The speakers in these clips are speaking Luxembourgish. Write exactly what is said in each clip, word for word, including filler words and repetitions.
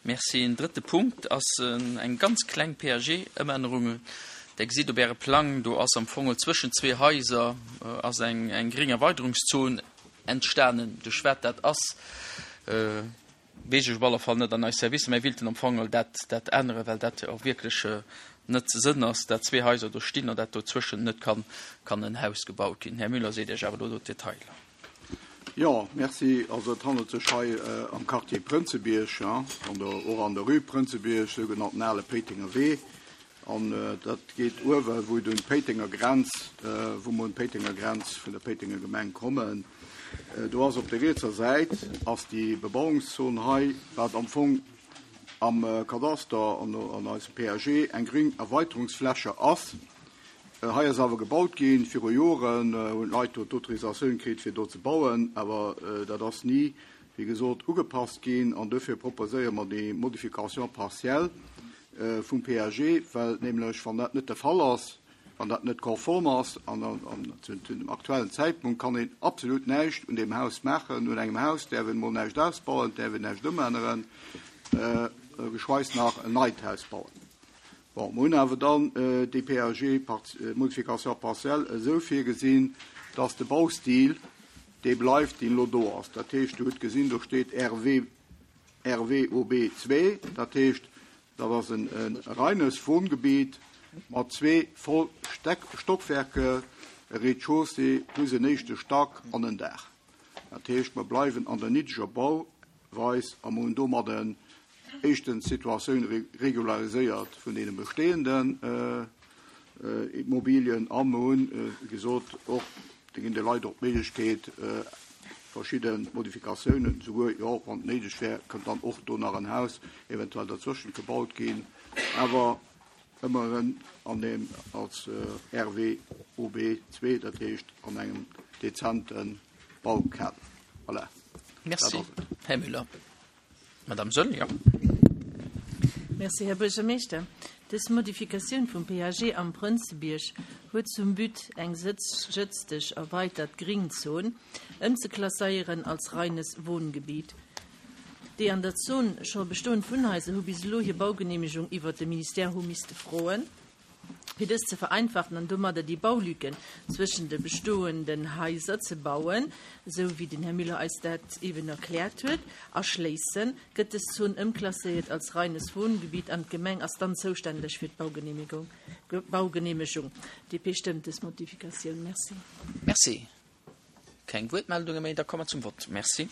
Merci. En drëtte Punkt ass eng ganz kleng P A G-Ëmännerung. Der gesitt op Äre Plang, do ass am Fong zwëschen zwee Haiser ass eng, eng gréng Erweiterungszon entstanen. Duerch wat dat ass, weess ech op alle Fall net an eis Servicer, mä wilten am Fong dat, dat änneren, well dat och wierklech net Sënn ass, dat zwee Haiser do stinn an dat dozwëschen net kann, kann en Haus gebaut ginn. Här Müller seet Iech awer do d'Detailer. Jo, merci. Also et handelt sech hei am Quartier Prënzebierg, ja, an der, och an der Rue Prënzebierg, sougenannten ale Péitenger Wee. An dat geet uewe wou et un d'Péitenger Grenz, wou mer un d'Péitenger Grenz vun der Péitenger Gemeng kommen. Do ass op der rietser Säit ass déi Bebauungszon hei, wat am Fong am Kadaster an, an eisem P A G eng gréng Erweiterungsfläche ass. Hei ass awer gebaut ginn, viru Joren hunn d'Leit do d'Autorisatioun kritt, fir do ze bauen, awer dat ass ni, wéi gesot, ugepasst ginn an dofir proposéiere mer déi Modification partielle vum P A G, well nämlech, wann dat net de Fall ass, wann dat net konform ass, an, an zu, zu dem aktuellen Zeitpunkt kann een absolut näischt un dem Haus maachen, un engem Haus däerf een mol näischt ausbauen, däerf een näischt ëmänneren, äh, geschweis nach en neit Haus bauen. Bon, mir hunn awer dann, äh, déi P A G part-, äh, Modification partielle esou virgesinn, dass de Baustil, dee bleift, deen lo do ass. Dat heescht, du hutt gesinn, do steet R W, R W O B zwee, dat heescht, dat ass en, en reines Wohngebiet mat zwee voll Steck-, Stockwerke, e Rez-de-chaussée plus en éischte Stack an en Daach. Dat heescht, wir bleiwen an der niddreger Bauweis a hunn domadden éischtens d'Situatioun re-, regulariséiert vun deene bestehenden, äh, äh, Immobilien a mir hunn, äh, wéi gesot, och da ginn de Leit och d'Méiglechkeet, äh, verschidde Modifikatiounen, souguer, jo, wann et néideg wär, kënnt dann och do nach en Haus eventuell dazwischen gebaut ginn, awer ëmmer an dem als, äh, R W O B zwee, dat heescht an engem dezenten Baukader. Voilà. Merci, Dat ass et. Här Müller. Madame Söll, ja. Merci, Herr Buergermeeschter. Dës Modifikatioun vum P A G am Prënzebierg huet zum But eng sëtz-jëtzteg erweitert Gringzon ëmzeklasséieren als reines Wohngebiet. Déi an der Zon scho bestoend Wunnhaiser hu bis elo hir Baugenehmigung iwwer de Ministère hu misste froen. Fir dës ze vereinfachen an domadder déi Baulücken zwëschen de bestoenden Haiser ze bauen, sou wéi den Herr Müller eis dat eben erkläert huet, erschléissen, gëtt dës Zon ëmklasséiert als reines Wohngebiet an d'Gemeng ass dann zoustänneg fir d'Baugenehmigung. Ge-, Baugenehmigung. D P stëmmt dës Modifikatioun. Merci. Merci. Keng Wuertmeldunge méi, da komme wir zum Wort. Merci.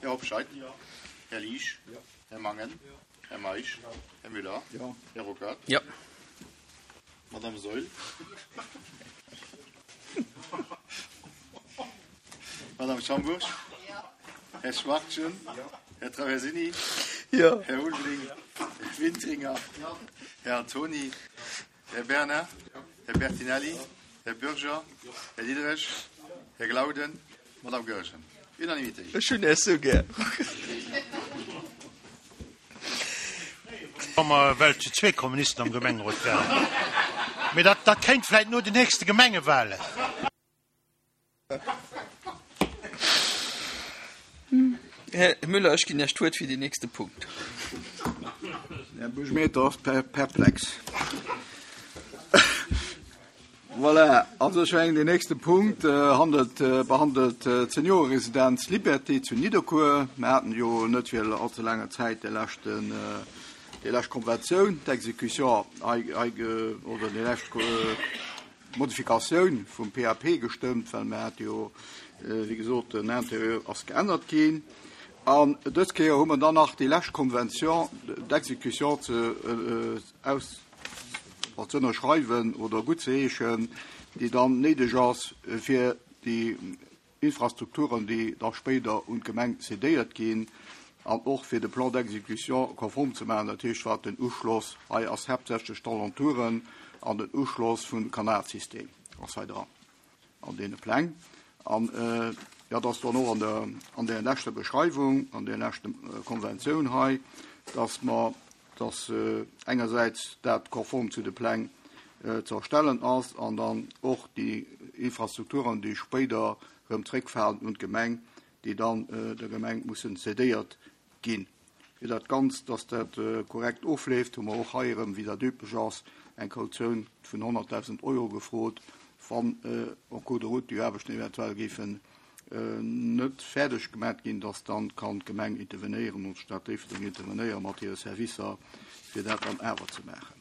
Herr Hobscheit. Ja. Herr Liesch. Ja. Herr Mangen. Ja. Herr Meisch. Ja. Herr Müller. Ja. Herr Ruckert. Ja. Madame Seul. Madame Schamburg. Ja. Herr Schwartjen. Ja. Herr Traversini. Ja. Herr Ulbling. Ja. Herr Wintringer. Ja. Herr Antoni. Ja. Herr Berner. Ja. Herr Bertinelli. Ja. Herr Bürger. Ja. Herr Diederich. Herr Glauden. Madame Goergen. Unanimité. Ech hunn es so gär. Wa mer well zu zwee Kommunisten am Gemengerot wären. Mee dat, dat kéint vläicht no den nächste Gemengewahlen. Herr Müller, ech ginn Iech d'Wuert fir den nächste Punkt. Herr Buergermeeschter ass per-, perplex. Voilà, also ech mengen, den nächste Punkt, äh, handelt, äh, behandelt, äh, d'Senioreresidenz Liberté zu Nidderkuer. Wir hatten jo net fir allzu langer Zäit de leschten, äh, déi lescht Konventioun, d'Exekution, ei, ei, oder déi lescht, äh, Modifikatioun vum P A P gestëmmt, well mir hat jo, äh, wéi gesot, den Interieur ass geännert ginn. An dës Kéier hu mer dann nach déi lescht Konvention d'Exekution ze, äh, aus, zu ënnerschreiwen oder gut ze heeschen, déi dann néideg ass fir déi Infrastrukturen, déi da spéider un d'Gemeng cédéiert ginn, an och fir de Plan d'exécution konform ze maachen. Dat heescht, wat den Uschloss hei ass haaptsächlech d'Alentouren an den Uschloss vum Kanalsystem ass hei dran an deene Pläng. An, äh, ja, das dann och an der, an der leschter Beschreibung, an der leschten, äh, Konventioun hei, dass man, dass, äh, engerseits dat konform zu de Pläng, äh, ze erstellen ass an dann och déi Infrastrukturen, déi spéider rëm zréckfalen un d'Gemeng, déi dann, äh, der Gemeng mussen cédéiert ginn. Fir dat Ganzt, dass dat korrekt ofleeft, hu mer och hei erëm, wéi dat üblech ass, eng Kautioun vun honnertdausend Euro gefrot, wann en cours de route déi Aarbechten eventuell géifen net fäerdeg gemat ginn, dass dann kann d'Gemeng intervenéieren und d'Stad Déifferdeng intervenéiere mat hire Servicer, fir dat dann awer ze maachen.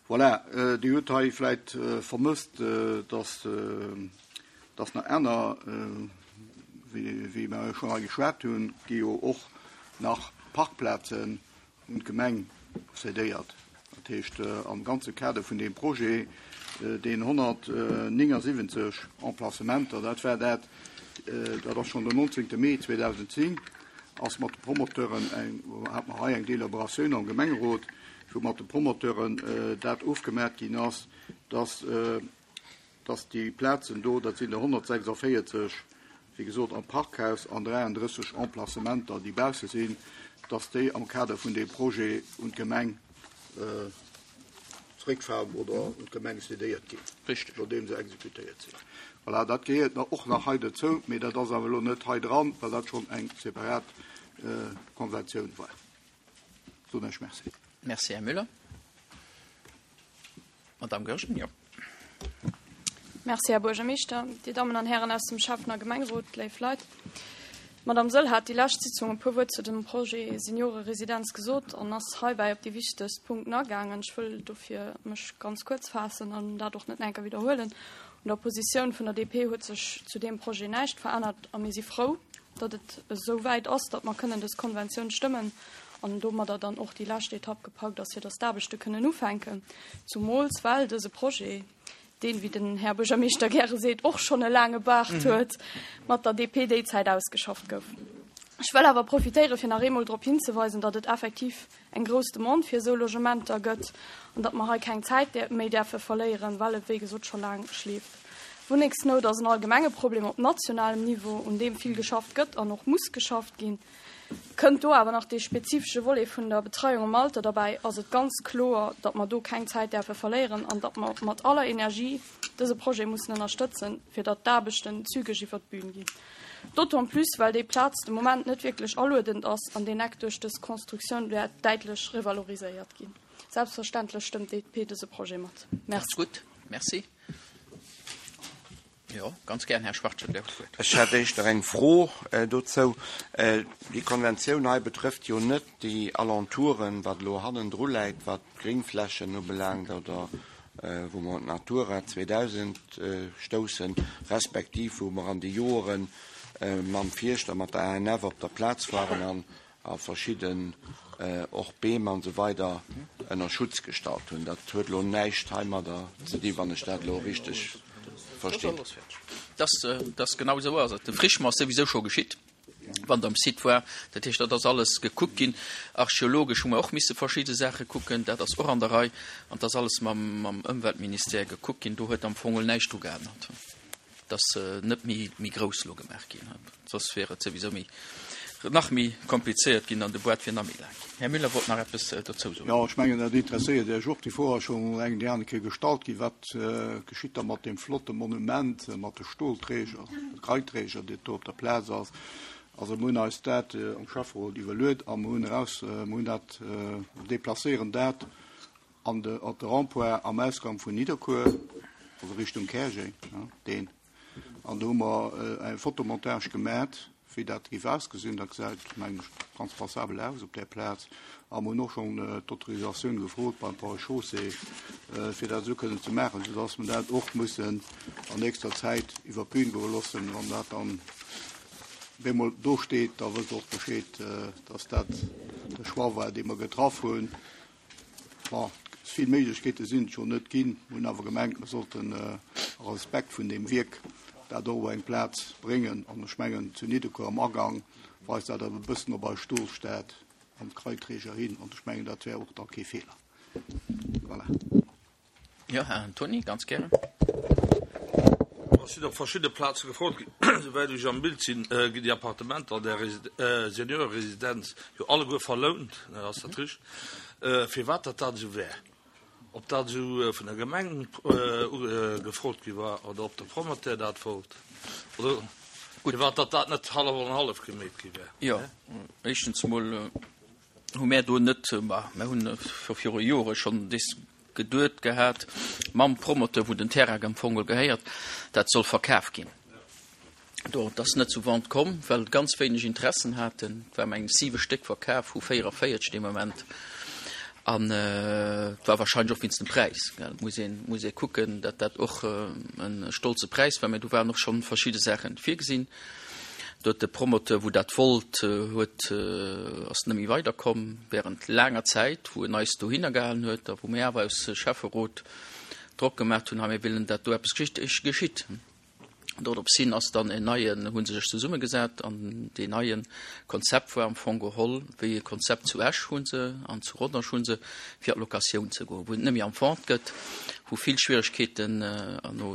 Voilà, Dir hutt hei vläit vermësst, dass dass nach aner, wéi mer schonn hei geschwat hunn, gi jo och nach Parkplazen un d'Gemeng cédéiert. Dat heescht, am ganze Kader vun deem Projet, deen honnertnéngasiwwenzeg Emplacementer, dat war dat, dat ass schonn den nonzéngte Mee zweedausendzéng, ass mat de Promoteuren eng, hat mer hei eng Deliberatioun am Gemengerot, wou mat de Promoteuren dat ofgemat ginn ass, dass, dass déi Plazen do, dat sinn der honnertsechsundvéierzeg, wéi gesot, am Parkhaus an dräiandrësseg Emplacementer, déi bausse sinn, dass déi am Kader vun deem Projet un d'Gemeng zréckfalen oder un d'Gemeng cédéiert ginn, Richtig. nodeem se exekutéiert sinn. Voilà, dat gehéiert nach och nach hei dozou, mee dat ass awer elo net hei dran, well dat schonn eng separat Konventioun war. Soen ech Merci. Merci, Här Müller. Madame Goergen, jo. Merci, Här Buergermeeschter, Dir Dammen an Hären aus dem Schäffen a Gemengerot, léif Leit. D'Madame Sëll hat déi lescht Sitzung e puer Wuert zu dem Projet Senioreresidenz gesot an ass heibäi op déi wichtegst Punkten agaangen. Ech wëll dofir mech ganz kuerz faassen an dat och net enker widderhuelen. Un der Positioun vun der D P huet sech zu deem Projet näischt verännert a mir si frou, datt et esou wäit ass, datt mer kënnen dës Konventioun stëmmen an domadder dann och déi lescht Etapp gepackt ass, fir datt d'Aarbechte kënnen ufänken. Zumools well dëse Projet, deen, wéi den Här Buergermeeschter gäre seet, och schonn e laange Baart huet, mat der D P déi Zäit ausgeschafft gouf. Ech wëll awer profitéiere fir nach eemol drop hinzeweisen, datt et effektiv eng grouss Demande fir esou Logementer gëtt an datt mer hei keng Zäit méi däerfe verléieren, well et wéi gesot scho laang schleeft. Wunnengsnout ass en allgemenge Problem op nationalem Niveau, un deem vill geschafft gëtt an och muss geschafft ginn. Kënnt do awer nach dee spezifesche Volet vun der Betreiung am Alter derbäi, ass et ganz kloer, datt mer do keng Zäit däerfe verléieren an datt mer mat aller Energie dëse Projet mussen ënnerstëtzen, fir datt d'Aarbechten zügeg iwwer d'Bün ginn. D'autant plus, well déi Plaz de Moment net wierklech aluedend ass an deen Eck duerch dës Konstruktioun wäert däitlech revaloriséiert ginn. Selbstverständlech stëmmt d'D P dëse Projet mat. Merci. Gutt, merci. Jo, ganz gär, Här Schwachtgen, Dir hutt d'Wuert. Ech hätt éischter eng Fro dozou. Déi Konventioun hei betrëfft jo net déi Alentouren, wat elo hannendru läit, wat d'Gréngflächen ubelaangt oder wou mer un d'Natura zweedausend stoussen, respektiv wou mer an de Joere mam Fierschter, mat der A N F op der Plaz waren an a verschidden och Beem an esou weider ënner Schutz gestallt hunn. Dat huet elo näischt heimadder ze dinn, wann ech dat elo richteg verstinn. Das, das genau esou ass et. De Frischement ass souwisou scho geschitt, wann der um Site war. Dat heescht, dat ass alles gekuckt ginn. Archeologesch hu mer och misse verschidde Saache kucken. Dat ass och an der Rei. An dat ass alles mam, mam Ëmweltministère gekuckt ginn. Do huet am Fong näischt dru geännert. Dat ass net méi, méi grouss lo gemaach ginn. Soss wär et souwisou méi, nach méi komplizéiert ginn an de Boart wier nach méi laang ginn. Här Müller wollt nach eppes dozou soen. Jo, ech mengen, dat interesséiert Iech och. Déi Fro ass schonn eng déi aner Kéier gestallt ginn. Wat geschitt da mat deem flotte Monument, mat de Stolträger, Greiträger, deen do op der Plaz ass? Also mir hunn eis dat am Schäfferot iwwerluet a mir hunn eraus, mir hunn dat, deplacéieren dat an de, op de Rond-point am Ausgang vun Nidderkuer, also Richtung Käerjeng, deen. An do hu mer eng Fotomontage gemat, wéi dat géif ausgesinn. Dat gesäit, mengen ech, ganz passabel aus op där Plaz. A mir hunn och schonn d'Autorisatioun gefrot beim Ponts et Chaussées, fir dat esou kënnen ze maachen, soudass mer dat och mussen an nächster Zäit iwwer d'Bün goe loossen. Wann dat dann bemol do steet, da wësst Der och Bescheed, dass dat de Choix war, dee mer getraff hunn. Bon, vill Méiglechkeete sinn et schonn net ginn. Mir hunn awer gemengt, mer sollten a Respekt vun deem Wierk dat och op eng Plaz bréngen. An ech mengen, zu Nidderkuer am Agang weist dat awer e bëssen op eis Stolstad an d'Kraiträger hin. An ech mengen, dat wär och da kee Feeler. Voilà. Jo, Här Antoni, ganz gären. Et sinn op verschidde Plaze gefrot ginn, souwäit ech am Bild sinn, ginn déi Appartementer an der Senioreresidenz jo alleguer verlount, ass dat richteg? Firwat dat dat esou wär, ob dat esou vun der Gemeng gefrot gi war oder ob de Promoteur dat wollt, oder? Firwat datt dat net hallef an hallef gemeet gi wär. Jo, éischtens emol hu mär do net, ma mär hunn scho viru Jore schonn des geduet gehat mam Promoteur, wou den Terrain am Fong gehéiert, dat soll verkaf ginn. Do, et ass net zu Vente komm, well ganz wéineg Interessen haten. Et war mengen ech siwe Stéck verkaf vu véierunvéierzeg dee Moment. An et war wahrscheinlech och wéinst dem Präis, gell. Et muss een, muss ee kucken, datt dat och e stolze Präis war. Mä do waren och schonn verschidde Saache virgesinn. Do huet de Promoteur, wou dat wollt, huet, ass net méi weiderkomm während laanger Zäit, wou en eis dohinner gehalen huet a wou mir awer aus Schäfferot Drock gemaach hunn, hei mir wëllen, datt do eppes geschitt. Dorops hin ass dann en neien, hu se sech zesummegesat an deen neie Konzept war am Fong geholl wéi e Konzept zu Esch hu se an zu Rodange hu se, fir an d'Locatioun ze goen, wou et net méi am Vente gëtt, wou vill Schwieregkeeten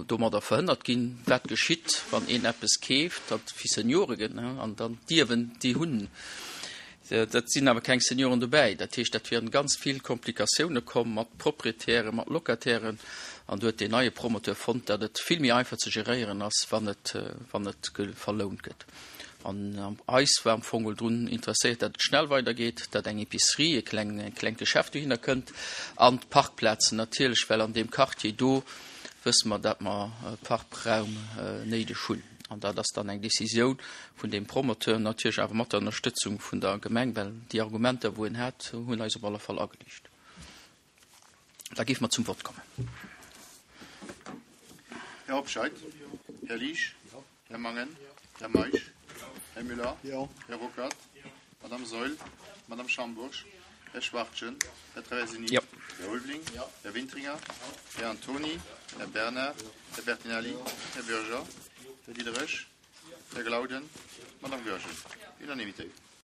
domadder verhënnert ginn. Wat geschitt, wann een eppes keeft, dat fir Seniore gëtt, an dann d'Ierwen, déi hunn. Dat sinn awer keng Senioren dobäi. Dat heescht, dat wieren ganz vill Komplikatioune komm mat Proprietären, mat Locatairen. An do huet deen neie Promoteur fonnt, datt et vill méi einfach ze geréieren ass, wann et, wann et verlount gëtt. An eis war am Fong geholl drun interesséiert, datt et schnell weidergeet, datt eng Epicerie, e kleng, e klengt Geschäft dohinner kënnt an d'Parkplazen natierlech, well an deem Quartier do wësse mer, datt mer Parkraum néideg hunn. An dat ass dann eng Décisioun vun deem Promoteur, natierlech awer mat der Ënnerstëtzung vun der Gemeng, well déi Argumenter, wou en hat, hunn eis op alle Fall ageliicht. Da géife mer zum Vott kommen. Här Hobscheit? Här Liesch? Här Mangen? Här Meisch? Här Müller? Här Ruckert? Madame Saeul? Madame Schambourg? Här Schwachtgen? Här Traversini? Här Ulveling? Här Wintringer? Här Antony? Här Bernard? Här Bertinelli? Här Bürger? Här Diderich? Här Glauden? Madame Goergen? Unanimitéit.